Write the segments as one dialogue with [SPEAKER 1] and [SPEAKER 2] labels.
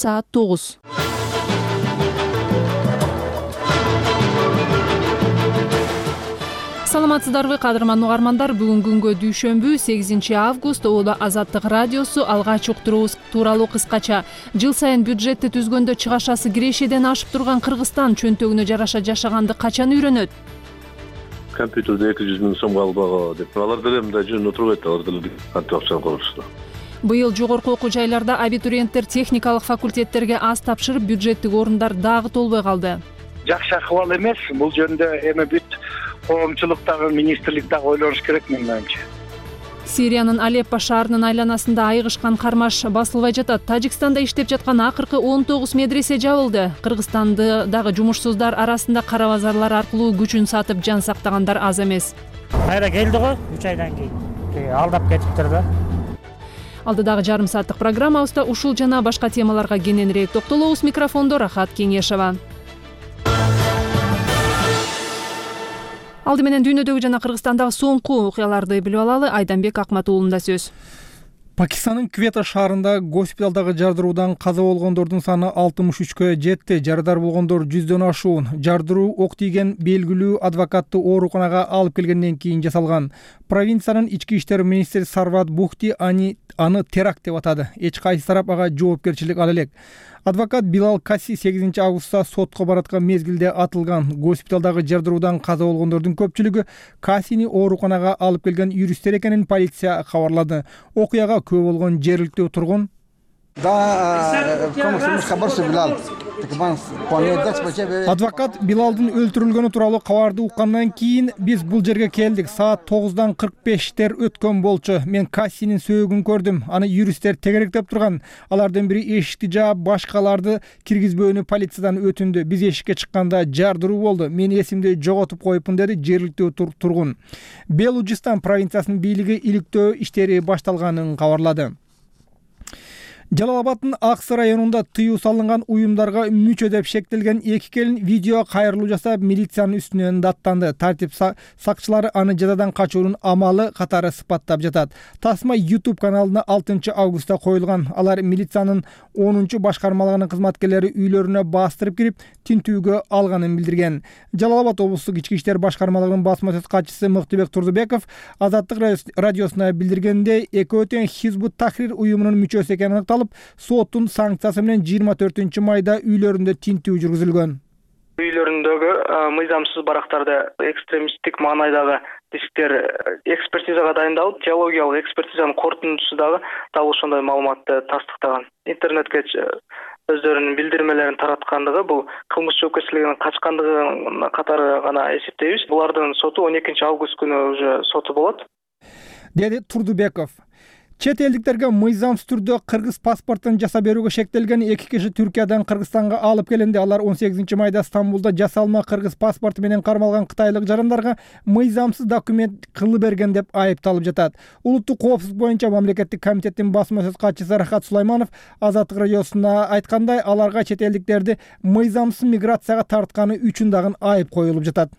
[SPEAKER 1] саат 9. Саламатсыздарбы кадырман угармандар, бүгүн күнгө дүйшөмбү 8 август. Оодо Азаттык радиосу алгач уктуруубуз тууралуу кыскача. Жыл сайын бюджетти түзгөндө чыгашасы кирешеден ашып турган Кыргызстан чөнтөгүнө жараша жашаганды качан үйрөнөт?
[SPEAKER 2] Компьютерде 200 миң сомго албагы деп. Алар деле мындай жөнүндө турбайт, алар деле кантип акчаны колдошду.
[SPEAKER 1] Быйыл жогорку окуу жайларда абитуриенттер техникалык факультеттерге аз тапшырып, бюджеттик орундар дагы толбой калды.
[SPEAKER 3] Жакшы акыбал эмес. Бул жөнүндө эми бүт коомчулук дагы, министрлик дагы ойлоnuш керек менин оюмча.
[SPEAKER 1] Сириянын Алеппо шаарынын айланасында айыгышкан кармаш басылбай жатат. Тажикстанда иштеп жаткан акыркы 19 медресе жабылды. Кыргызстанда дагы жумушсуздар арасында кара базарлар аркылуу күчүн сатып жан сактагандар аз эмес.
[SPEAKER 4] Кайра келди го 3 айдан кийин. Алдап кетиптир да.
[SPEAKER 1] Алдыдагы жарым сааттык программабызда ушул жана башка темаларга кененирээк токтолобуз. Микрофондо Рахат Кеңешева. Алды менен дүйнөдөгү жана Кыргызстандагы соңку окуяларды билип алалы. Айданбек Акматуулунда сөз.
[SPEAKER 5] Пакистанын Квета шаарында госпиталдагы жардыруудан каза болгондордун саны 63кө жетти. Жарадар болгондор 100дөн ашуун. Жардыруу ок тийген белгилүү адвокатты ооруканага алып келгенден кийин жасалган. Провинциянын ички иштер министри Сарват Бухти аны теракт деп атады. Эч кайсы тарап ага жоопкерчилик ала элек. Адвокат Билал Каси 8 августта сотко бараткан мезгилде атылган. Госпиталдагы жардыруудан каза болгондордун көпчүлүгү Касини ооруканага алып келген юристтер экенин полиция кабарлады. Окуяга күбө болгон жергиликтүү тургун адвокат Билалдын өлтүрүлгөнү тууралуу кабарды уккандан кийин биз бул жерге келдик. Саат 9:45 өткөн болчу. Мен Кассинин сөөгүн көрдүм. Аны юристтер тегеректеп турган. Алардын бири эшикти жаап, башкаларды киргизбөөнү полициядан өтүндү. Биз эшикке чыкканда жардыруу болду. Мен эсимди жоготуп коюпмун, деди жергиликтүү тургун. Белужистан провинциясынын бийлиги иликтөө иштери башталганын кабарлады. Жалал-Абадтын Аксы районунда тыюу салынган уюмдарга мүчө деп шектелген 2 келин видео кайрылуу жасап, милициянын үстүнөн даттанды. Тартип сакчылары аны жазадан качуунун амалы катары сыпаттап жатат. Тасма YouTube каналына 6 августта коюлган. Алар милициянын 10 башкармалыгынын кызматкерлери үйлөрүнө бастырып кирип, тинтүүгө алганын билдирген. Жалал-Абад облустук ички иштер башкармалыгынын басма сөз катчысы Мыктыбек Турдубеков Азаттык радиосуна билдиргендей, экөө тең Хизбут Тахрир уюмунун мүчөсү экени аныкталып, соттун санкциясы менен 24 майда үйлөрүндө тинтүү жүргүзүлгөн.
[SPEAKER 6] Үйлөрүндөгү мыйзамсыз барактарды экстремисттик маанайдагы дисктер экспертизага дайындалып, теологиялык экспертизанын корутундусу дагы дал ошондой маалыматты тастыктаган. Интернетке өздөрүнүн билдирмелерин тараткандыгы бул кылмыш жоопкерчилигинин качкандыгы катары гана эсептейбиз. Булардын соту 12 август күнү уже соту болот,
[SPEAKER 5] деди Турдубеков. Чет элдиктерге мыйзамсыз түрдө кыргыз паспортун жасап берүүгө шектелген 2 киши Түркиядан Кыргызстанга алып келинди. Алар 18 майда Стамбулда жасалма кыргыз паспорту менен кармалган кытайлык жарандарга мыйзамсыз документ кылып берген деп айыпталып жатат. Улуттук коопсуздук боюнча мамлекеттик комитеттин басма сөз катчысы Рахат Сулайманов Азаттык радиосуна айткандай, аларга чет элдиктерди мыйзамсыз миграцияга тартканы үчүн дагы айып коюлуп жатат.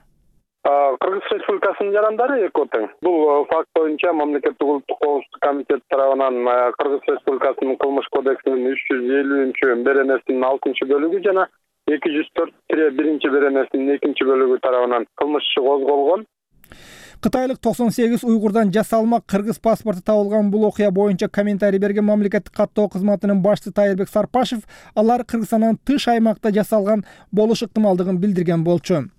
[SPEAKER 7] Кыргыз Республикасынын жарандары экөө тең. Бул факт боюнча мамлекеттик улуттук коопсуздук комитети тарабынан Кыргыз Республикасынын кылмыш кодексинин 350-беренесинин 6-бөлүгү жана 204-1 беренесинин 2-бөлүгү тарабынан кылмыш иши козголгон.
[SPEAKER 5] Кытайлык 98 уйгурдан жасалма кыргыз паспорту табылган бул окуя боюнча комментарий берген мамлекеттик каттоо кызматынын башчысы Тайырбек Сарпашев, алар Кыргызстандан тыш аймакта жасалган болуш ыктымалдыгын билдирген болчу.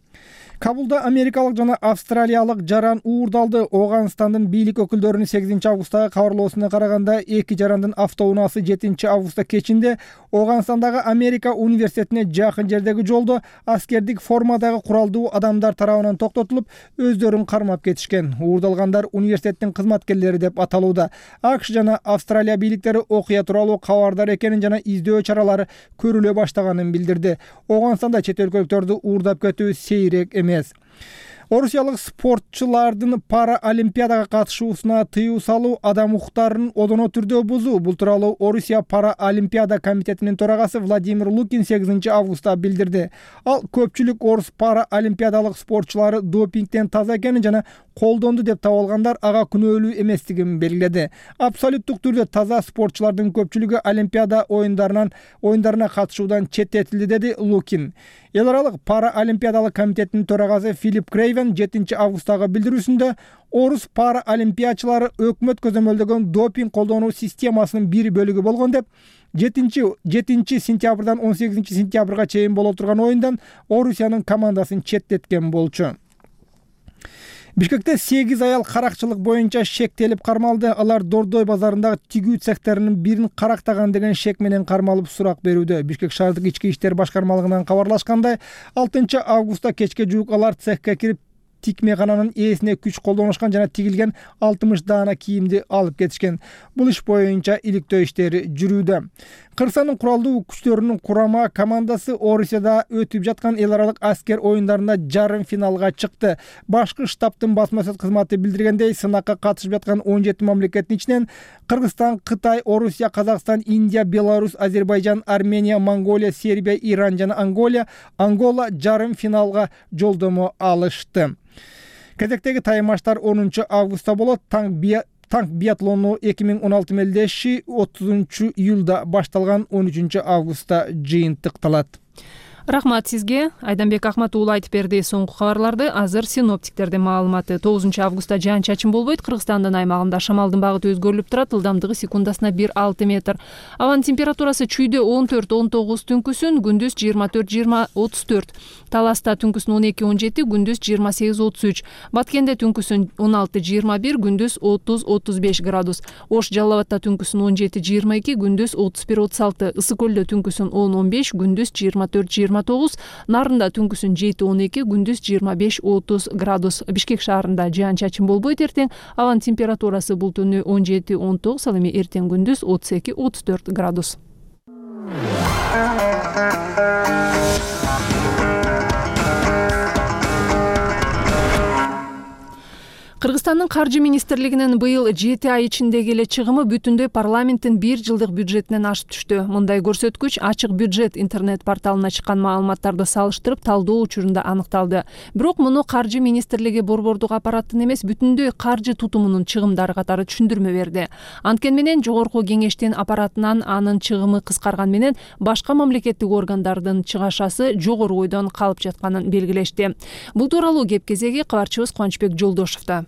[SPEAKER 5] Кабулда америкалык жана австралиялык жаран уурдалды. Оганстандын бийлик өкүлдөрүнүн 8 августтагы кабарлоосуна караганда, 2 жарандын автоунаасы 7 августта кечинде Оганстандагы Америка университетине жакын жердеги жолдо аскердик формадагы куралдуу адамдар тарабынан токтотулуп, өздөрүн кармап кетишкен. Уурдалгандар университеттин кызматкерлери деп аталууда. АКШ жана Австралия бийликтери окуя тууралуу кабардар экенин жана издөө чаралары көрүлө баштаганын билдирди. Оганстанда чет өлкөлүктөрдү уурдап кетүү сейрек эмес. Орусиялык спортчулардын Параолимпиадага катышуусуна тыюу салуу адам укуктарын одоно түрдө бузуу. Бул тууралуу Орусия Параолимпиада комитетинин төрагасы Владимир Лукин 8 августта билдирди. Ал көпчүлүк орус параолимпиадалык спортчулары допингден таза экенин жана колдонду деп табылгандар ага күнөөлүү эместигин белгиледи. Абсолюттук түрдө таза спортчулардын көпчүлүгү Олимпиада оюндарына катышуудан четтетилди, деди Лукин. Эл аралык Параолимпиадалык комитеттин төрагасы Филипп Крейвен 7 августтагы билдирүүсүндө орус параолимпиячылары өкмөт көзөмөлдөгөн допинг колдонуу системасынын бир бөлүгү болгон деп 7 сентябрдан 18 сентябрга чейин боло турган оюндан Орусиянын командасын четтеткен болчу. Бишкекте 8 аял каракчылык боюнча шектелип кармалды. Алар Дордой базарындагы тигүү цехтеринин бирин карактаган деген шек менен кармалып сурак берүүдө. Бишкек шаардык ички иштер башкармалыгынан кабарлашкандай, 6 августта кечке жуук алар цехке кирип тикмекананын ээсине күч колдонушкан жана тигилген 60 даана кийимди алып кетишкен. Бул иш боюнча иликтөө иштери жүрүүдө. Кыргызстандын куралдуу күчтөрүнүн курама командасы Орусияда өтүп жаткан эл аралык аскер оюндарында жарым финалга чыкты. Башкы штабтын басма сөз кызматы билдиргендей, сынакка катышып жаткан 17 мамлекеттин ичинен Кыргызстан, Кытай, Орусия, Казакстан, Индия, Беларусь, Азербайжан, Армения, Монголия, Сербия, Иран жана Ангола жарым финалга жолдомо алышты. Кезектеги таймаштар 10 августта болот. Танк биатлону 2016 мелдеши 30 июлда башталган, 13 августта жыйынтыкталат.
[SPEAKER 1] Рахмат сизге. Айданбек Ахмат уулу айтып берди соңку кабарларды. Азыр синоптиктердин маалыматы. 9 августта жаан-чачын болбойт. Кыргызстандын аймагында шамалдын багыты өзгөрүлүп турат. Ылдамдыгы секундасына 1-6 метр. Абанын температурасы чүйдө 14-19 түнкүсүн, күндүз 24-34. Таласта түнкүсүн 12-17, күндүз 28-33. Баткенде түнкүсүн 16-21, күндүз 30-35 градус. Ош Жалал Абадта түнкүсүн 17-22, күндүз 31-36. Ысык көлдө түнкүсүн 10-15, күндүз 24-29. Нарында түнкүсүн 7-12, күндүз 25-30 градус. Бишкек шаарында жаан-чачын болбойт эртең. Абанын температурасы бул түнү 17-19, ал эми эртең күндүз 32-34 градус. Кыргызстандын каржы министрлигинин быйыл 7 ай ичиндеги эле чыгымы бүтүндөй парламенттин 1 жылдык бюджетинен ашып түштү. Мындай көрсөткүч ачык бюджет интернет порталына чыккан маалыматтарды салыштырып талдоо учурунда аныкталды. Бирок муну каржы министрлиги борбордук аппараттын эмес, бүтүндөй каржы тутумунун чыгымдары катары түшүндүрмө берди. Анткени менен жогорку кеңештин аппаратынан анын чыгымы кыскарган менен башка мамлекеттик органдардын чыгашасы жогору ойдон калып жатканын белгилешти. Бул тууралуу кеп кезеги кабарчыбыз Кубанычбек Жолдошовдо.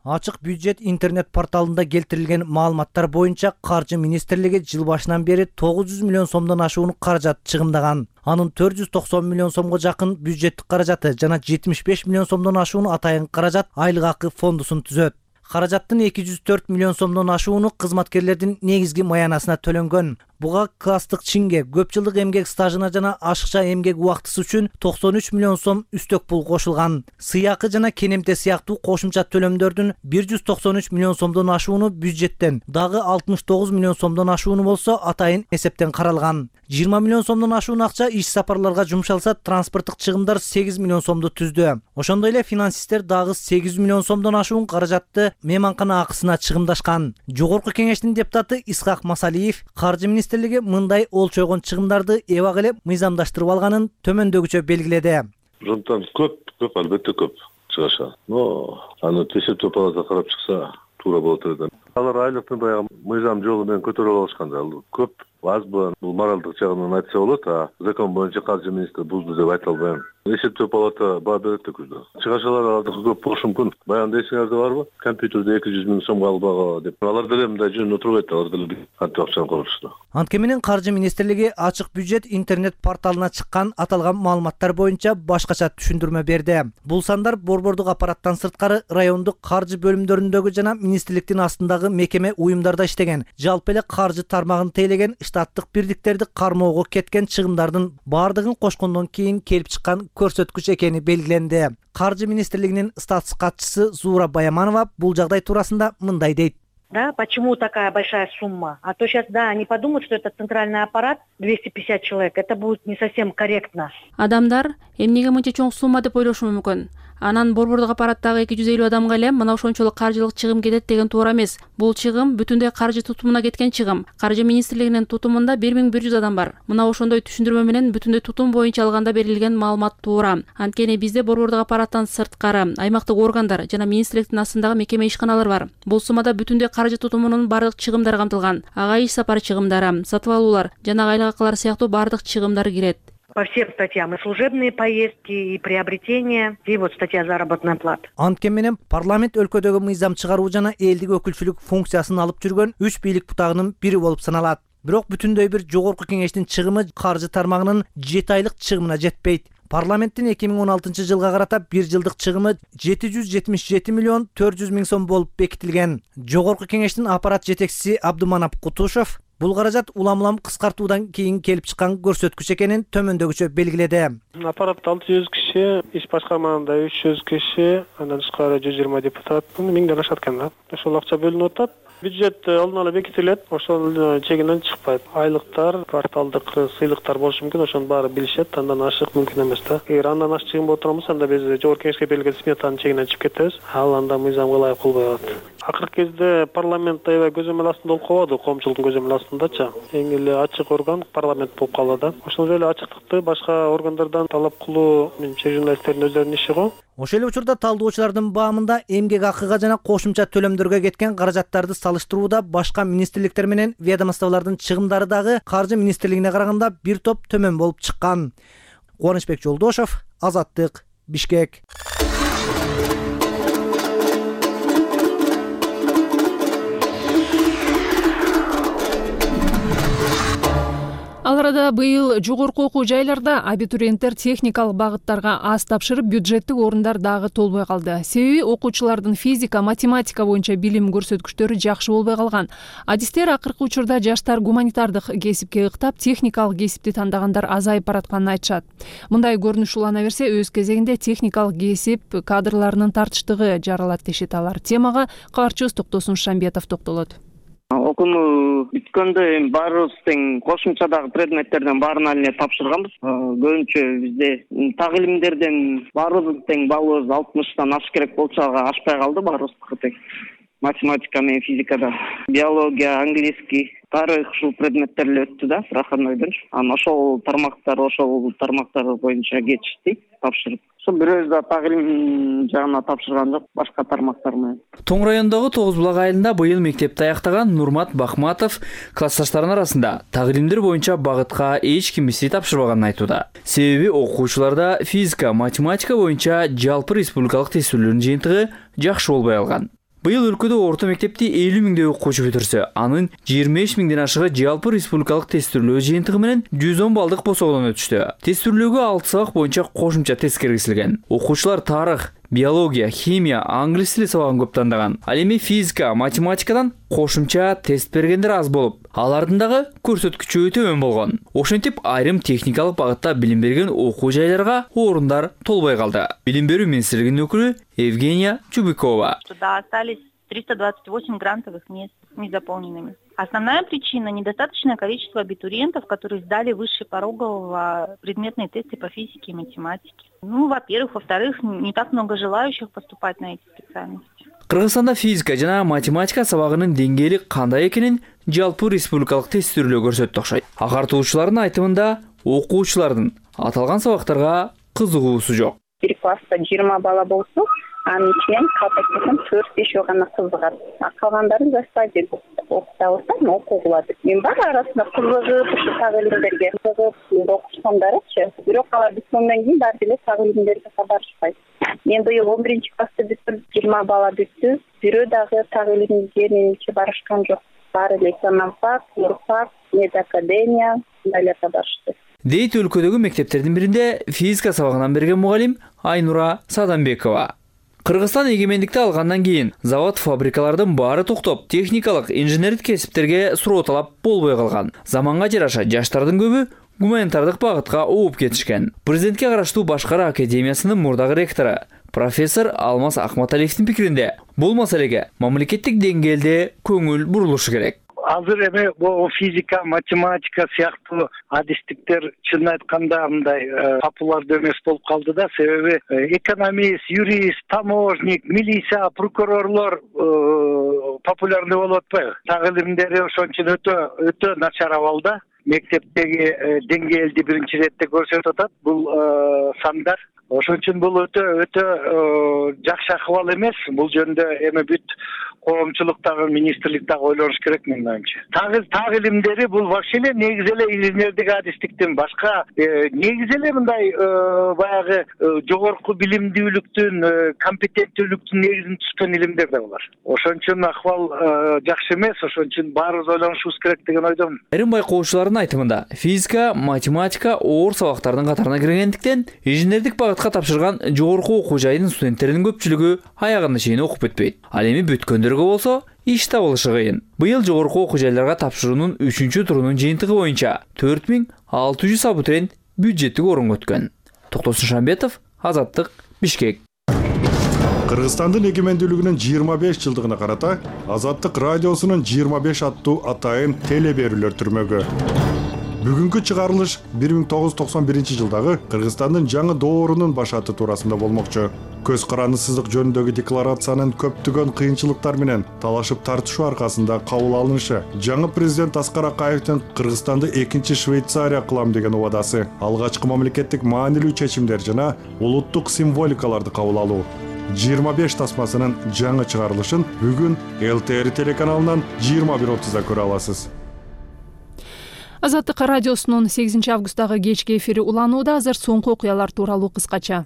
[SPEAKER 8] Ачык бюджет интернет порталында келтирилген маалыматтар боюнча каржы министрлиги жыл башынан бери 900 миллион сомдон ашуун каражат чыгымдаган. Анын 490 миллион сомго жакын бюджеттик каражаты жана 75 миллион сомдон ашуун атайын каражат айлык акы фондусун түзөт. Каражаттын 204 миллион сомдон ашууну кызматкерлердин негизги маянасына төлөнгөн. Буга класстык чинге, көп жылдык эмгек стажына жана ашыкча эмгек убактысы үчүн 93 миллион сом үстөк пул кошулган. Сыйакы жана кенемте сыяктуу кошумча төлөмдөрдүн 193 миллион сомдон ашууну бюджеттен, дагы 69 миллион сомдон ашууну болсо атайын эсептен каралган. 20 миллион сомдон ашуун акча иш сапарларга жумшалса, транспорттук чыгымдар 8 миллион сомду түздү. Ошондой эле финансисттер дагы 8 миллион сомдон ашуун каражатты мейманкана акысына чыгымдашкан. Жогорку кеңештин депутаты Исхак Масалиев каржы министрлиги мындай олчойгон чыгымдарды эбак эле мыйзамдаштырып алганын төмөндөгүчө белгиледи.
[SPEAKER 2] Ошондон көп албетте көп чыгышат. Но аны эсептөө палата карап чыкса туура болот эле. Алар айлыктын баягы мыйзам жолу менен көтөрүп алышканда көп азбы бул моралдык жагынан айтса болот, а закон боюнча каржы министри бузду деп айта албайм. Эсептөө палата баа берет да күздө. Чыгашалар алардыкы көп болушу мүмкүн. Баягы эсиңерде барбы? Компьютерде 200 миң сомго албагы деп. Алар деле мындай жөн отурбайт, алар деле кантип акчаны корушты.
[SPEAKER 8] Анткени менен каржы министрлиги ачык бюджет интернет порталына чыккан аталган маалыматтар боюнча башкача түшүндүрмө берди. Бул сандар борбордук аппараттан сырткары райондук каржы бөлүмдөрүндөгү жана министрликтин астындагы мекеме уюмдарда иштеген, жалпы эле каржы тармагын тейлеген штаттык бирдиктерди кармоого кеткен чыгымдардын баардыгын кошкондон кийин келип чыккан көрсөткүч экени белгиленди. Каржы министрлигинин статс катчысы Зуура Баяманова бул жагдай туурасында мындай дейт.
[SPEAKER 9] Да, почему такая большая сумма? А то сейчас, да, они подумают, что это центральный аппарат, 250 человек, это будет не совсем корректно.
[SPEAKER 10] Адамдар эмнеге мынча чоң сумма деп ойлошу мүмкүн. Анан борбордук аппараттагы 250 адамга эле мына ошончолук каржылык чыгым кетет деген туура эмес. Бул чыгым бүтүндөй каржы тутумуна кеткен чыгым. Каржы министрлигинин тутумунда 1100 адам бар. Мына ошондой түшүндүрмө менен бүтүндөй тутум боюнча алганда берилген маалымат туура. Анткени бизде борбордук аппараттан сырткары аймактык органдар жана министрликтин астындагы мекеме ишканалар бар. Бул суммада бүтүндөй каржы тутумунун бардык чыгымдары камтылган. Ага иш сапар чыгымдары, сатып алуулар жана айлык акылар сыяктуу бардык чыгымдар кирет.
[SPEAKER 9] По всем статьям и служебные поездки, и приобретения, и вот статья заработная плата.
[SPEAKER 8] Анткени менен парламент өлкөдөгү мыйзам чыгаруу жана элдик өкүлчүлүк функциясын алып жүргөн 3 бийлик бутагынын бири болуп саналат. Бирок бүтүндөй бир жогорку кеңештин чыгымы каржы тармагынын 7 айлык чыгымына жетпейт. Парламенттин 2016 жылга карата 1 жылдык чыгымы 777 миллион 400 миң сом болуп бекитилген. Жогорку кеңештин аппарат жетекчиси Абдуманап Кутушев бул каражат улам-улам кыскартуудан кийин келип чыккан көрсөткүч экенин төмөндөгүчө белгиледи.
[SPEAKER 11] Аппаратта 600 киши, иш башкармасында 300 киши, андан тышкары 120 депутат, 1000ден ашат экен да. Ошол акча бөлүнүп атат. Бюджет алдын ала бекитилет, ошол чегинен чыкпайт. Айлыктар, кварталдык сыйлыктар болушу мүмкүн, ошонун баары билишет, андан ашык мүмкүн эмес да. Эгер андан ашык чыгым боло турган болсо, анда биз жогорку кеңешке берилген сметанын чегинен чыгып кетебиз. Ал анда мыйзамга ылайык болбой калат. Акыркы кезде парламент аябай көзөмөл астында болуп калбады, коомчулуктун көзөмөл астындачы. Эң эле ачык орган парламент болуп калды да. Ошол эле ачыктыкты башка органдардан талап кылуу менимче журналисттердин өздөрүнүн иши го.
[SPEAKER 8] Ошол эле учурда талдоочулардын баамында эмгек акыга жана кошумча төлөмдөргө кеткен каражаттарды салыштырууда башка министрликтер менен ведомстволордун чыгымдары дагы каржы министрлигине караганда бир топ төмөн болуп чыккан. Кубанычбек Жолдошов, Азаттык, Бишкек.
[SPEAKER 1] Ал арада быйыл жогорку окуу жайларда абитуриенттер техникалык багыттарга аз тапшырып, бюджеттик орундар дагы толбой калды. Себеби окуучулардын физика, математика боюнча билим көрсөткүчтөрү жакшы болбой калган. Адистер акыркы учурда жаштар гуманитардык кесипке ыктап, техникалык кесипти тандагандар азайып баратканын айтышат. Мындай көрүнүш улана берсе, өз кезегинде техникалык кесип кадрларынын тартыштыгы жаралат дешет алар. Темага кабарчыбыз Токтосун Шамбетов токтолот.
[SPEAKER 12] Окууну бүткөндө баарыбыз тең кошумчадагы предметтерден баарына эле тапшырганбыз. Көбүнчө бизде так илимдерден баарыбыз тең балыбыз 60тан ашыш керек болчу, ага ашпай калды баарыбыздыкы тең. Математика менен физикада, биология, английский, тарых ушул предметтер эле өттү да, проходнойдон. Анан ошол тармактар боюнча кетишти тапшырып. Ошо бирөөбүз да так илим жагына тапшырган жок, башка тармактар менен.
[SPEAKER 13] Тоң районундагы Тогуз булак айылында быйыл мектепти аяктаган Нурмат Бахматов классташтарынын арасында так илимдер боюнча багытка эч ким мисти тапшырбаганын айтууда. Себеби окуучуларда физика, математика боюнча жалпы республикалык тестүүлөрдүн жыйынтыгы жакшы болбой калган. Быйыл өлкөдө орто мектепти 50 миңдей окуучу бүтүрсө, анын 25 миңден ашыгы жалпы республикалык тестүүлөө жыйынтыгы менен 110 балдык босоодон өтүштү. Тестүүлөөгө 6 сабак боюнча кошумча тест киргизилген. Окуучулар тарых, биология, химия, англис тили сабагын көп тандаган. Ал эми физика, математикадан кошумча тест бергендер аз болуп, алардын дагы көрсөткүчү төмөн болгон. Ошентип айрым техникалык багытта билим берген окуу жайларга орундар толбой калды. Билим берүү министрлигинин өкүлү Евгения Чубикова.
[SPEAKER 14] Туда остались 328 грантовых мест незаполненными. Основная причина – недостаточное количество абитуриентов, которые сдали выше порогового предметные тесты по физике и математике. Во-первых. Во-вторых, не так много желающих поступать на эти специальности.
[SPEAKER 13] Кыргызстанда физика жана математика сабагынын деңгээли кандай экенин жалпы республикалык тестүүлөө көрсөттү окшойт. Агартуучулардын айтымында окуучулардын аталган сабактарга кызыгуусу жок.
[SPEAKER 15] Бир класста 20 бала болсо, анын ичинен калтакесем 4-5 гана кызыгат. Калгандарын жаштайбы окута алсам окугулат. Мен бар арасында кызыгып, ушу так илимдерге кызыгып окушкандарычы. Бирок алар бүткөндөн кийин баары эле так илимдерге кабарышпайт. Мен быйыл 11-классты бүтүрүп 20 бала бүттү. Бирөө дагы так илимге менимче барышкан жок. Баары эле экономфак, юрфак, медакадемия мындай барышты.
[SPEAKER 13] Дейт өлкөдөгү мектептердин биринде физика сабагынан берген мугалим Айнура Садамбекова. Кыргызстан эгемендикти алгандан кийин завод фабрикалардын баары токтоп, техникалык, инженердик кесиптерге суроо талап болбой калган. Заманга жараша жаштардын көбү гуманитардык багытка ооп кетишкен. Президентке караштуу Башкара академиясынын мурдагы ректору профессор Алмаз Акматалиевдин пикиринде бул маселеге мамлекеттик деңгээлде көңүл бурулушу керек.
[SPEAKER 3] азыр эми бул физика, математика сыяктуу адистиктер чынын айтканда мындай популярдуу эмес болуп калды да, себеби экономист, юрист, таможник, милиция, прокурорлор популярный болуп атпайбы. Так илимдери ошон үчүн өтө начар абалда. Мектептеги деңгээлди биринчи иретте көрсөтүп атат бул сандар. Ошон үчүн бул өтө жакшы акыбал эмес. Бул жөнүндө эми бүт коомчулук дагы, министрлик дагы ойлонуш керек менин оюмча. Так илимдери бул вообще эле негизи эле инженердик адистиктин башка негизи эле мындай баягы жогорку билимдүүлүктүн, компетенттүүлүктүн негизин түзгөн илимдер да булар. Ошон үчүн акыбал жакшы эмес. Ошон үчүн баарыбыз ойлонушубуз керек деген ойдомун.
[SPEAKER 13] Айрым байкоочулардын айтымында физика, математика оор сабактардын катарына киргендиктен инженердик багытка тапшырган жогорку окуу жайынын студенттеринин көпчүлүгү аягына чейин окуп бүтпөйт. Ал эми бүткөндөргө болсо иш табылышы кыйын. Быйыл жогорку окуу жайларга тапшыруунун 3-турунун жыйынтыгы боюнча 4600 абитуриент бюджеттик орунга өткөн. Токтосун Шамбетов, Азаттык, Бишкек.
[SPEAKER 16] Кыргызстандын эгемендүүлүгүнүн 25 жылдыгына карата Азаттык радиосунун 25 аттуу атайын телеберүүлөр түрмөгө. Бүгүнкү чыгарылыш 1991 жылдагы Кыргызстандын жаңы доорунун башаты туурасында болмокчу. Көз карандысыздык жөнүндөгү декларациянын көптөгөн кыйынчылыктар менен талашып тартышуу аркасында кабыл алынышы, жаңы президент Аскар Акаевдин Кыргызстанды экинчи Швейцария кылам деген убадасы, алгачкы мамлекеттик маанилүү чечимдер жана улуттук символикаларды кабыл алуу. 25 тасмасынын жаңы чыгарылышын бүгүн ЛТР телеканалынан 21:30-да көрө аласыз.
[SPEAKER 1] Азаттык радиосунун 8 августтагы кечки эфири уланууда. Азыр соңку окуялар тууралуу кыскача.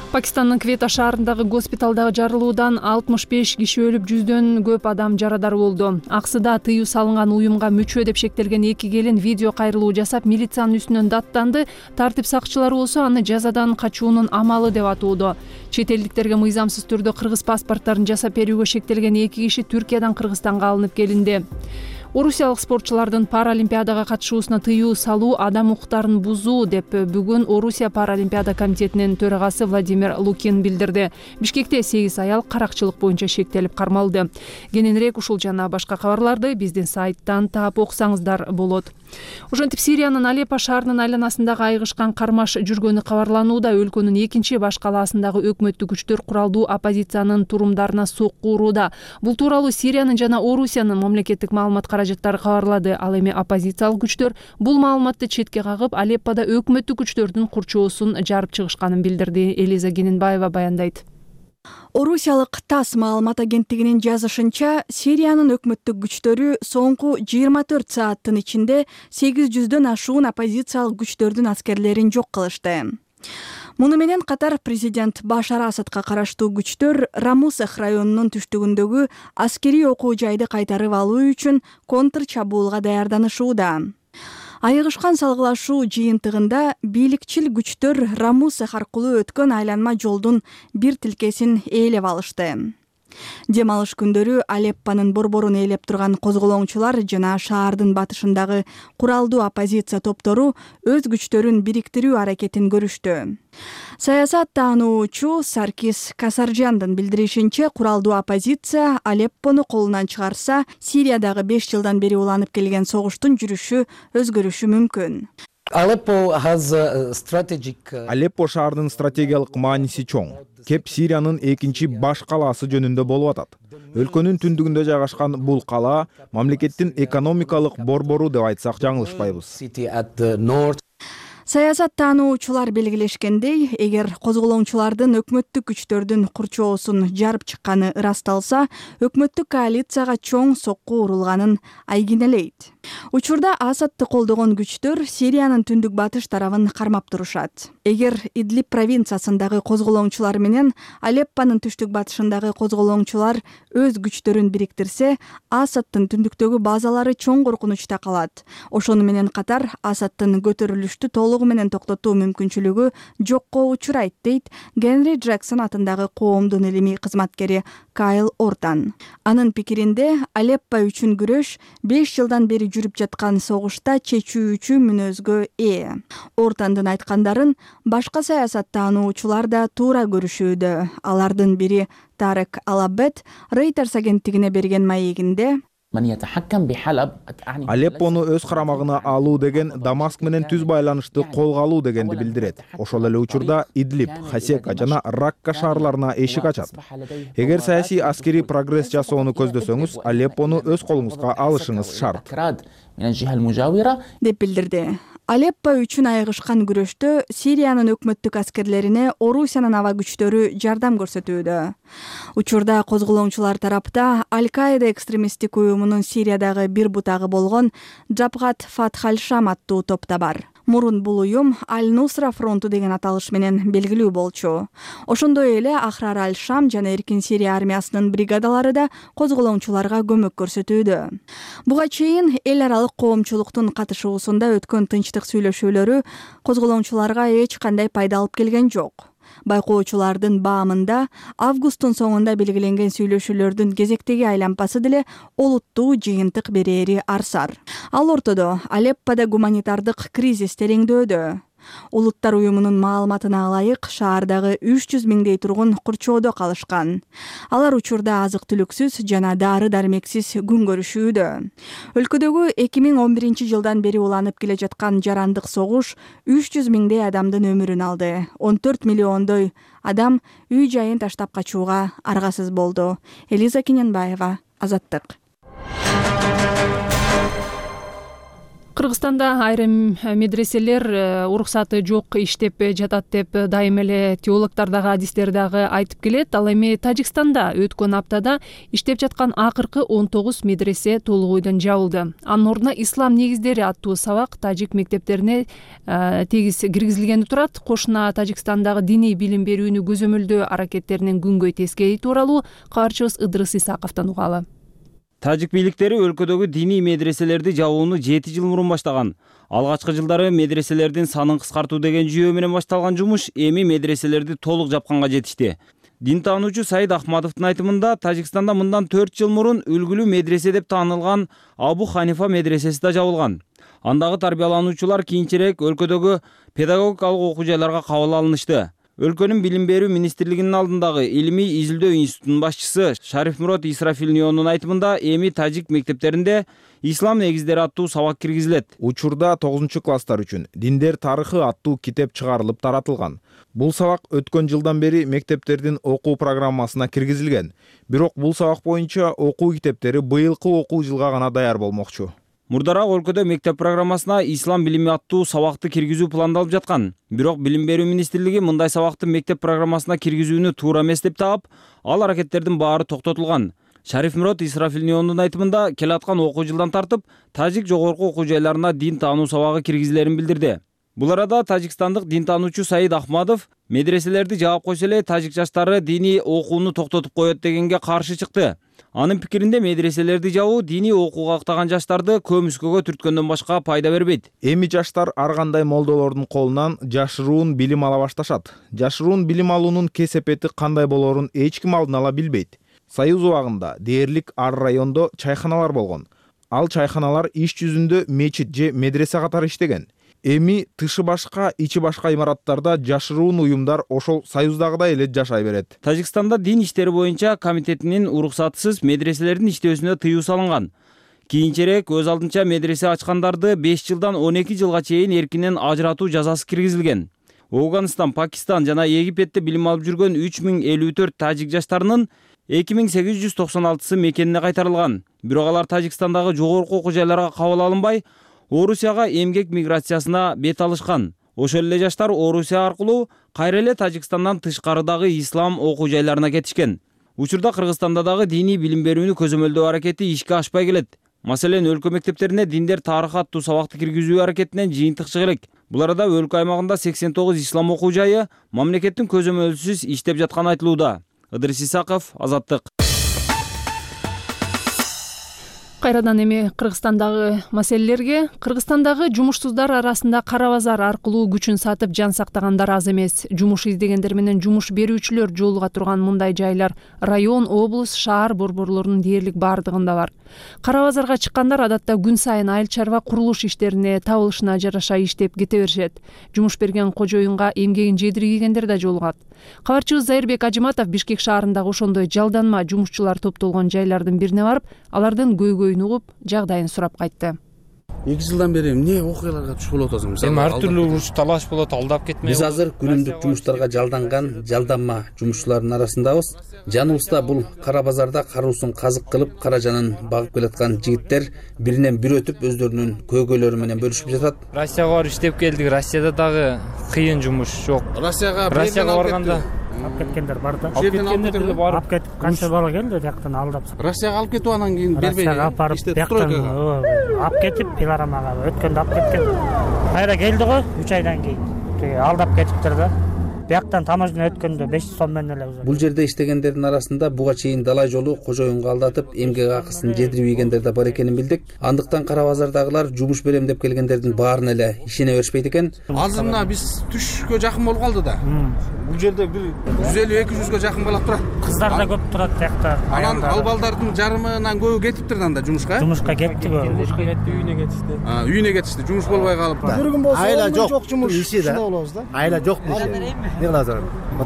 [SPEAKER 1] Пакистандын Квета шаарындагы госпиталдагы жарылуудан 65 киши өлүп, 100дөн көп адам жарадар болду. Аксыда тыюу салынган уюмга мүчө деп шектелген 2 келин видео кайрылуу жасап, милициянын үстүнөн даттанды. Тартип сакчылары болсо аны жазадан качуунун амалы деп атууда. Чет элдиктерге мыйзамсыз түрдө кыргыз паспорттарын жасап берүүгө шектелген 2 киши Түркиядан Кыргызстанга алынып келинди. Орусиялык спортчулардын Паралимпиадага катышуусуна тыюу салуу адам укуктарын бузуу деп бүгүн Орусия Паралимпиада комитетинин төрагасы Владимир Лукин билдирди. Бишкекте 8 аял каракчылык боюнча шектелип кармалды. Кененирээк ушул жана башка кабарларды биздин сайттан таап окусаңыздар болот. Ошентип Сириянын Алеппо шаарынын айланасындагы айгышкан кармаш жүргөнү кабарланууда. Өлкөнүн 2 баш калаасындагы өкмөттүк күчтөр куралдуу оппозициянын турумдарына сокку урууда. Бул тууралуу Сириянын жана Орусиянын мамлекеттик маалымат каражаттары кабарлады. Ал эми оппозициялык күчтөр бул маалыматты четке кагып, Алеппода өкмөттүк күчтөрдүн курчоосун жарып чыгышканын билдирди. Элиза Кененбаева баяндайт.
[SPEAKER 17] Орусиялык ТАСС маалымат агенттигинин жазышынча, Сириянын өкмөттүк күчтөрү соңку 24 сааттын ичинде 800дөн ашуун оппозициялык күчтөрдүн аскерлерин жок кылышты. Муну менен катар президент Башар Асадка караштуу күчтөр Рамусех районунун түштүгүндөгү аскерий окуу жайды кайтарып алуу үчүн контр чабуулга даярданышууда. Айыгышкан салгылашуу жыйынтыгында бийликчил күчтөр Рамусех аркылуу өткөн айланма жолдун бир тилкесин ээлеп алышты. Дем алыш күндөрү Алеппонун борборун ээлеп турган козголоңчулар жана шаардын батышындагы куралдуу оппозиция топтору өз күчтөрүн бириктирүү аракетин көрүштү. Саясат таануучу Саркис Касаржандын билдиришинче, куралдуу оппозиция Алеппону колунан чыгарса, Сириядагы 5 жылдан бери уланып келген согуштун жүрүшү өзгөрүшү мүмкүн.
[SPEAKER 18] Алеппо шаарынын стратегиялык мааниси чоң. Кеп Сириянын экинчи баш калаасы жөнүндө болуп атат. Өлкөнүн түндүгүндө жайгашкан бул калаа мамлекеттин экономикалык борбору деп айтсак жаңылышпайбыз.
[SPEAKER 17] Саясат таануучулар белгилешкендей, эгер козголоңчулардын өкмөттүк күчтөрдүн курчоосун жарып чыкканы ырасталса, өкмөттүк коалицияга чоң сокку урулганын айгинелейт. Учурда Асадты колдогон күчтөр Сириянын түндүк батыш тарабын кармап турушат. Эгер Идлиб провинциясындагы козголоңчулар менен Алеппонун түштүк батышындагы козголоңчулар өз күчтөрүн бириктирсе, Асадтын түндүктөгү базалары чоң коркунучта калат. Ошону менен катар Асадтын көтөрүлүштү толугу менен токтотуу мүмкүнчүлүгү жокко учурайт, дейт Генри Джексон атындагы коомдун илимий кызматкери Микаэл Ортан. Анын пикиринде Алеппо үчүн күрөш 5 жылдан бери жүрүп жаткан согушта чечүүчү мүнөзгө ээ. Ортандын айткандарын башка саясаттануучулар да туура көрүшүүдө. Алардын бири Тарек Алабет Reuters агенттигине берген маегинде
[SPEAKER 18] Алеппону өз карамагына алуу деген Дамаск менен түз байланышты колго алуу дегенди билдирет. Ошол эле учурда Идлиб, Хасека жана Ракка шаарларына эшик ачат. Эгер саясий аскерий прогресс жасоону көздөсөңүз, Алеппону өз колуңузга алышыңыз шарт,
[SPEAKER 17] деп билдирди. Алеппо үчүн айыгышкан күрөштө Сириянын өкмөттүк аскерлерине Орусиянын аба күчтөрү жардам көрсөтүүдө. Учурда козголоңчулар тарапта Аль-Каида экстремисттик уюмунун Сириядагы бир бутагы болгон Джабхат Фатх аль-Шам аттуу топ да бар. Мурун бул уюм Аль-Нусра фронту деген аталыш менен белгилүү болчу. Ошондой эле Ахрар аль-Шам жана Эркин Сирия армиясынын бригадалары да козголоңчуларга көмөк көрсөтүүдө. Буга чейин эл аралык коомчулуктун катышуусунда өткөн тынчтык сүйлөшүүлөрү козголоңчуларга эч кандай пайда алып келген жок. Байкоочулардын баамында августтун соңунда белгиленген сүйлөшүүлөрдүн кезектеги айлампасы деле олуттуу жыйынтык берери арсар. Ал ортодо Алеппода гуманитардык кризис тереңдөөдө. Улуттар уюмунун маалыматына ылайык шаардагы 300 миңдей тургун курчоодо калышкан. Алар учурда азык-түлүксүз жана дары-дармексиз күн көрүшүүдө. Өлкөдөгү 2011 жылдан бери уланып келе жаткан жарандык согуш 300 миңдей адамдын өмүрүн алды. 14 миллиондой адам үй жайын таштап качууга аргасыз болду. Элиза Кененбаева, Азаттык.
[SPEAKER 1] Кыргызстанда айрым медреселер уруксаты жок иштеп жатат деп дайым эле теологдор дагы адистер дагы айтып келет. Ал эми Тажикстанда өткөн аптада иштеп жаткан акыркы 19 медресе толук ойдон жабылды. Анын ордуна ислам негиздери аттуу сабак тажик мектептерине тегиз киргизилгени турат. Кошуна Тажикстандагы диний билим берүүнү көзөмөлдөө аракеттеринин күнгөй тескери тууралуу каарчыбыз Ыдрыс Исаковдон угалы.
[SPEAKER 19] Тажик бийликтери өлкөдөгү диний медреселерди жабууну 7 жыл мурун баштаган. Алгачкы жылдары медреселердин санын кыскартуу деген жүйө менен башталган жумуш эми медреселерди толук жапканга жетишти. Дин таануучу Саид Ахмадовдун айтымында Тажикстанда мындан 4 жыл мурун үлгүлүү медресе деп таанылган Абу Ханифа медресеси да жабылган. Андагы тарбиялануучулар кийинчерээк өлкөдөгү педагогикалык окуу жайларга кабыл алынышты. Өлкөнүн билим берүү министрлигинин алдындагы илимий изилдөө институтунун башчысы Шарифмурод Исрафилнионун айтымында эми тажик мектептеринде ислам негиздери аттуу сабак киргизилет.
[SPEAKER 18] Учурда 9-класстар үчүн Диндер тарыхы аттуу китеп чыгарылып таратылган. Бул сабак өткөн жылдан бери мектептердин окуу программасына киргизилген. Бирок бул сабак боюнча окуу китептери быйылкы окуу жылга гана даяр болмокчу.
[SPEAKER 19] Мурдараак өлкөдө мектеп программасына ислам билими аттуу сабакты киргизүү пландалып жаткан. Бирок билим берүү министрлиги мындай сабакты мектеп программасына киргизүүнү туура эмес деп таап, ал аракеттердин баары токтотулган. Шарифмурод Исрафилниондун айтымында келаткан окуу жылдан тартып тажик жогорку окуу жайларына дин таануу сабагы киргизилерин билдирди. Бул арада тажикстандык дин таануучу Саид Ахмадов медреселерди жаап койсо эле тажик жаштары диний окууну токтотуп коет дегенге каршы чыкты. Анын пикиринде медреселерди жабуу диний окууга актаган жаштарды көмүскөгө түрткөндөн башка пайда бербейт.
[SPEAKER 18] Эми жаштар ар кандай молдолордун колунан жашыруун билим ала башташат. Жашыруун билим алуунун кесепети кандай болорун эч ким алдын ала билбейт. Союз убагында дээрлик ар райондо чайханалар болгон. Ал чайханалар иш жүзүндө мечит же медресе катары иштеген. Эми тышы башка, ичи башка имараттарда жашыруун уюмдар ошол союздагыдай эле жашай берет.
[SPEAKER 19] Тажикстанда дин иштери боюнча комитетинин уруксатысыз медреселердин иштөөсүнө тыюу салынган. Кийинчерээк өз алдынча медресе ачкандарды 5 жылдан 12 жылга чейин эркинен ажыратуу жазасы киргизилген. Афганистан, Пакистан жана Египетте билим алып жүргөн 3054 тажик жаштарынын 2896сы мекенине кайтарылган. Бирок алар Тажикстандагы жогорку окуу жайларга кабыл алынбай, Орусияга эмгек миграциясына бет алышкан. Ошол эле жаштар Орусия аркылуу кайра эле Тажикстандан тышкарыдагы ислам окуу жайларына кетишкен. Учурда Кыргызстанда дагы диний билим берүүнү көзөмөлдөө аракети ишке ашпай келет. Маселен, өлкө мектептерине диндер тарыхы аттуу сабакты киргизүү аракетинен жыйынтык чыга элек. Бул арада өлкө аймагында 89 ислам окуу жайы мамлекеттин көзөмөлсүз иштеп жатканы айтылууда. Ыдрис Исаков, Азаттык.
[SPEAKER 1] Кайрадан эми Кыргызстандагы маселелерге. Кыргызстандагы жумушсуздар арасында кара базар аркылуу күчүн сатып жан сактагандар аз эмес. Жумуш издегендер менен жумуш берүүчүлөр жолуга турган мындай жайлар район, облус, шаар борборлорунун дээрлик бардыгында бар. Кара базарга чыккандар адатта күн сайын айыл чарба курулуш иштерине табылышына жараша иштеп кете беришет. Жумуш берген кожоюнга эмгегин жедиргегендер да жолугат. Кабарчыбыз Зайырбек Ажыматов Бишкек шаарындагы ошондой жалданма жумушчулар топтолгон жайлардын бирине барып, алардын көйгөйүн угуп, жагдайын сурап кайтты.
[SPEAKER 20] 2 жылдан бери эмне окуяларга туш болуп атасың?
[SPEAKER 21] Эми ар түрлүү уруш талаш болот, алдап кетме.
[SPEAKER 20] Биз азыр күнүмдүк жумуштарга жалданган жалданма жумушчулардын арасындабыз. Жаныбызда бул кара базарда каруусун казык кылып, кара жанын багып келаткан жигиттер биринен бир өтүп өздөрүнүн көйгөйлөрү менен бөлүшүп жатат.
[SPEAKER 21] Россияга барып иштеп келдик. Россияда дагы кыйын жумуш жок.
[SPEAKER 20] Россияга
[SPEAKER 21] барганда
[SPEAKER 4] алып кеткендер бар да.
[SPEAKER 21] Алып
[SPEAKER 4] барып кетип канча бала келди жактан алдап.
[SPEAKER 20] Россияга алып кетип анан кийин бербей.
[SPEAKER 4] Россияга алып барып жактан алып кетип пилорамага өткөндө алып кеткен. Кайра келди го 3 айдан кийин. Алдап кетиптир да. Бияктан таможня өткөндө 500 сом менен эле.
[SPEAKER 20] Бул жерде иштегендердин арасында буга чейин далай жолу кожоюнга алдатып, эмгек акысын жедирип ийгендер да бар экенин билдик. Андыктан кара базардагылар жумуш берем деп келгендердин баарына эле ишене беришпейт экен.
[SPEAKER 21] Азыр мына биз түшкө жакын болуп калды да. Бул жерде бир
[SPEAKER 20] 150-200гө жакын бала турат.
[SPEAKER 4] Кыздар да көп турат тиякта.
[SPEAKER 20] Анан ал балдардын жарымынан көбү кетиптир да жумушка.
[SPEAKER 4] Жумушка кетти го.
[SPEAKER 21] Жумушка кетти, үйүнө кетишти.
[SPEAKER 20] Үйүнө кетишти, жумуш болбой калып.
[SPEAKER 22] Бир күн болсо айла жок жумуш иши болобуз да. Айла жок бул жерде. Не кыласың?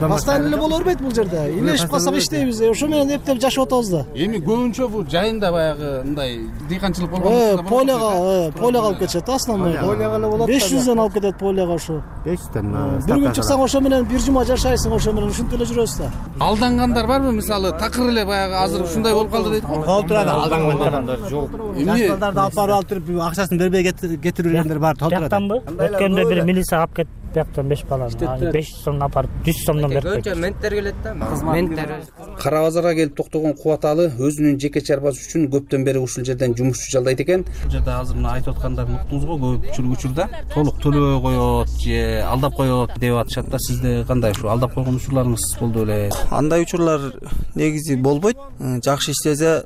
[SPEAKER 22] Постоянно эле боло бербейт бул жерде. Илешип калсак иштейбиз. Ошо менен эптеп жашап атабыз да.
[SPEAKER 20] Эми көбүнчө бул жайында баягы мындай дыйканчылык болгон.
[SPEAKER 22] Поляга алып кетишет основной.
[SPEAKER 21] Поляга эле болот.
[SPEAKER 22] 500дөн алып кетет поляга ошо.
[SPEAKER 21] 500дөн.
[SPEAKER 22] Бир күн чыксаң ошо менен бир жума жашайсың, ошо менен ушинтип эле жүрөбүз да.
[SPEAKER 20] Алдангандар барбы? Мисалы такыр эле баягы азыр ушундай болуп калды дейт.
[SPEAKER 22] Болуп турат, алдангандар жок. Жаштарды алып барып акчасын бербей кетиргендер бар, толтурат.
[SPEAKER 4] Жактанбы? Өткөндө бир милиция алып кетти. Бияктан 5 баланы 500 сомдон апарып 100 сомдон берип койду.
[SPEAKER 21] Көбүнчө менттер келет да. Менттер.
[SPEAKER 20] Кара базарга келип токтогон Кубаталы өзүнүн жеке чарбасы үчүн көптөн бери ушул жерден жумушчу жалдайт экен.
[SPEAKER 21] Бул жерде азыр мына айтып аткандарын уктуңуз го, көп учурда толук төлөбөй коет же алдап коет деп атышат да. Сизде кандай ушу алдап койгон учурларыңыз болду беле?
[SPEAKER 23] Андай учурлар негизи болбойт. Жакшы иштесе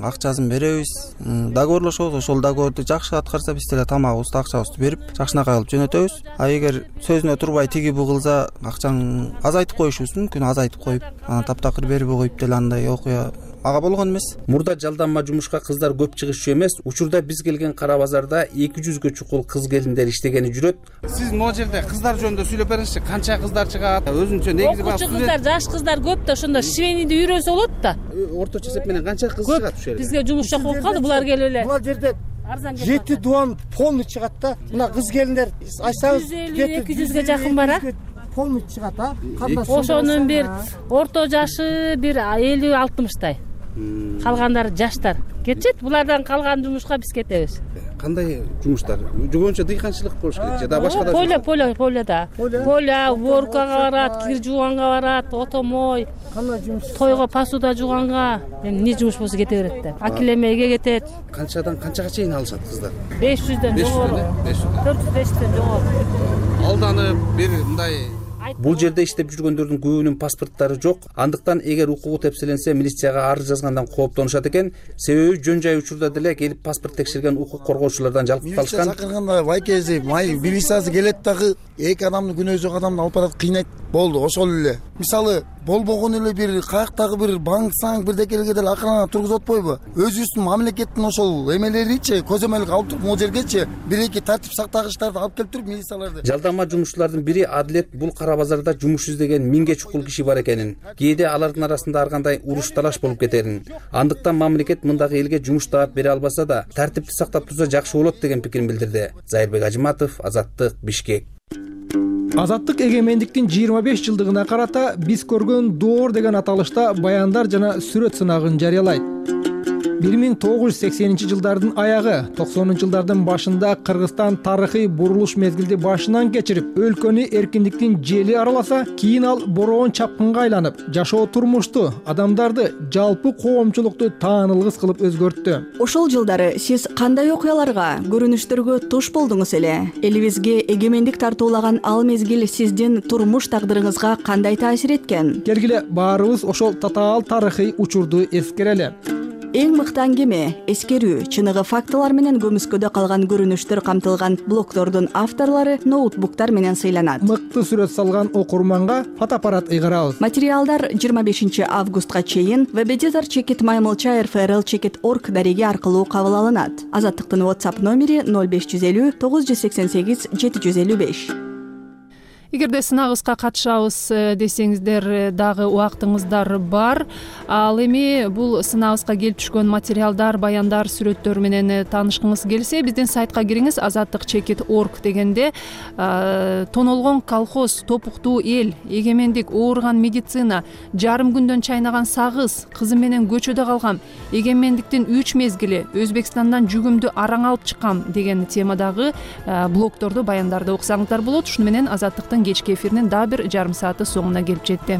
[SPEAKER 23] акчасын беребиз. Договорлошобуз, ошол договорду жакшы аткарса биз деле тамагыбызды, акчабызды берип, жакшынакай кылып жөнөтөбүз. А эгер сөзүнө турбай тиги бу кылса, акчаны азайтып коюшубуз мүмкүн, азайтып коюп, анан таптакыр бербей коюп деле андай окуя ага болгон эмес.
[SPEAKER 20] Мурда жалданма жумушка кыздар көп чыгышчу эмес. Учурда биз келген кара базарда 200гө чукул кыз келиндер иштегени жүрөт. Сиз могу жерде кыздар жөнүндө сүйлөп бериңизчи. Канча кыздар чыгат? Өзүнчө негизи бар.
[SPEAKER 24] Кыздар, жаш кыздар көп да, ошондо швейниди үйрөнсө болот да.
[SPEAKER 20] Орточо эсеп менен канча кыз чыгат ушул жерде?
[SPEAKER 24] Бизге жумуш жок болуп калды, булар келип эле.
[SPEAKER 22] Булар жерде 7 дуан полный чыгат да. Мына кыз келиндер айтсаңыз
[SPEAKER 24] 200гө жакын бар, а?
[SPEAKER 22] Полный чыгат, а?
[SPEAKER 24] Ошонун бир орто жашы бир 50-60тай. Калгандары жаштар. Кетет, булардан калган жумушка биз кетебиз.
[SPEAKER 20] Кандай жумуштар? Жогончо дыйканчылык болуш керек же да башка да?
[SPEAKER 24] Поля, уборкага барат, кир жууганга барат, отомой.
[SPEAKER 22] Кандай жумуш?
[SPEAKER 24] Тойго посуда жууганга, эмне жумуш болсо кете берет да. Акилемеге кетет.
[SPEAKER 20] Канчадан канчага чейин алышат кыздар?
[SPEAKER 24] 500дөн жогору. 400-500дөн жогору.
[SPEAKER 20] Алданып, бир мындай бул жерде иштеп жүргөндөрдүн көбүнүн паспорттары жок. Андыктан эгер укугу тепселенсе, милицияга арыз жазгандан кооптонушат экен. Себеби жөн жай учурда деле келип паспорт текшерген укук коргоочулардан жалпып калышкан.
[SPEAKER 22] Милиция чакырганда вайкези, милициясы келет дагы эки адамды күнөө жок адамды алып барат, кыйнайт. Болду, ошол эле. Мисалы, болбогон эле бир каяктагы бир банк бирдекелерге деле акырына тургузуп атпайбы? Өзүбүздүн мамлекеттин ошол эмелеричи, көзөмөлгө алып туруп, могу жергечи бир-эки тартип сактагычтарды алып келип туруп милицияларды.
[SPEAKER 20] Жалданма жумушчулардын бири Адилет бул кара базарда жумуш издеген 1000ге чукул киши бар экенин, кээде алардын арасында ар кандай уруш талаш болуп кетерин, андыктан мамлекет мындагы элге жумуш таап бере албаса да, тартипти сактап турса жакшы болот деген пикирин билдирди. Зайырбек Ажыматов, Азаттык, Бишкек.
[SPEAKER 5] Азаттык эгемендиктин 25 жылдыгына карата биз көргөн доор деген аталышта баяндар жана сүрөт сынагын жарыялайт. 1980-жылдардын аягы, 90-жылдардын башында Кыргызстан тарыхый бурулуш мезгилди башынан кечирип, өлкөнү эркиндиктин жели араласа, кийин ал бороон чапкынга айланып, жашоо турмушту, адамдарды, жалпы коомчулукту таанылгыс кылып өзгөрттү.
[SPEAKER 17] Ошол жылдары сиз кандай окуяларга, көрүнүштөргө туш болдуңуз эле? Элибизге эгемендик тартуулаган ал мезгил сиздин турмуш тагдырыңызга кандай таасир эткен?
[SPEAKER 5] Келгиле баарыбыз ошол татаал тарыхый учурду эскерели.
[SPEAKER 17] Эң мыкты аңгеме, эскерүү, чыныгы фактылар менен көмүскөдө калган көрүнүштөр камтылган блогдордун авторлору ноутбуктар менен сыйланат.
[SPEAKER 5] Мыкты сүрөт салган окурманга фотоаппарат ыйгарабыз.
[SPEAKER 17] Материалдар 25 августка чейин webeditor@maymolcha.rfrl.org дареги аркылуу кабыл алынат. Азаттыктын WhatsApp номери 0550 988 755.
[SPEAKER 1] Эгерде сынагыбызга катышабыз десеңиздер дагы убактыңыздар бар. Ал эми бул сынагыбызга келип түшкөн материалдар, баяндар, сүрөттөр менен таанышкыңыз келсе, биздин сайтка кириңиз. azattik.org дегенде тонолгон колхоз, топуктуу эл, эгемендик, ооруган медицина, жарым күндөн чайнаган сагыз, кызым менен көчөдө калгам, эгемендиктин 3 мезгили, Өзбекстандан жүгүмдү араң алып чыккам деген темадагы блогдорду, баяндарды окусаңыздар болот. Ушуну менен Азаттыктын кечки эфиринин дагы бир жарым сааты соңуна келип жетти.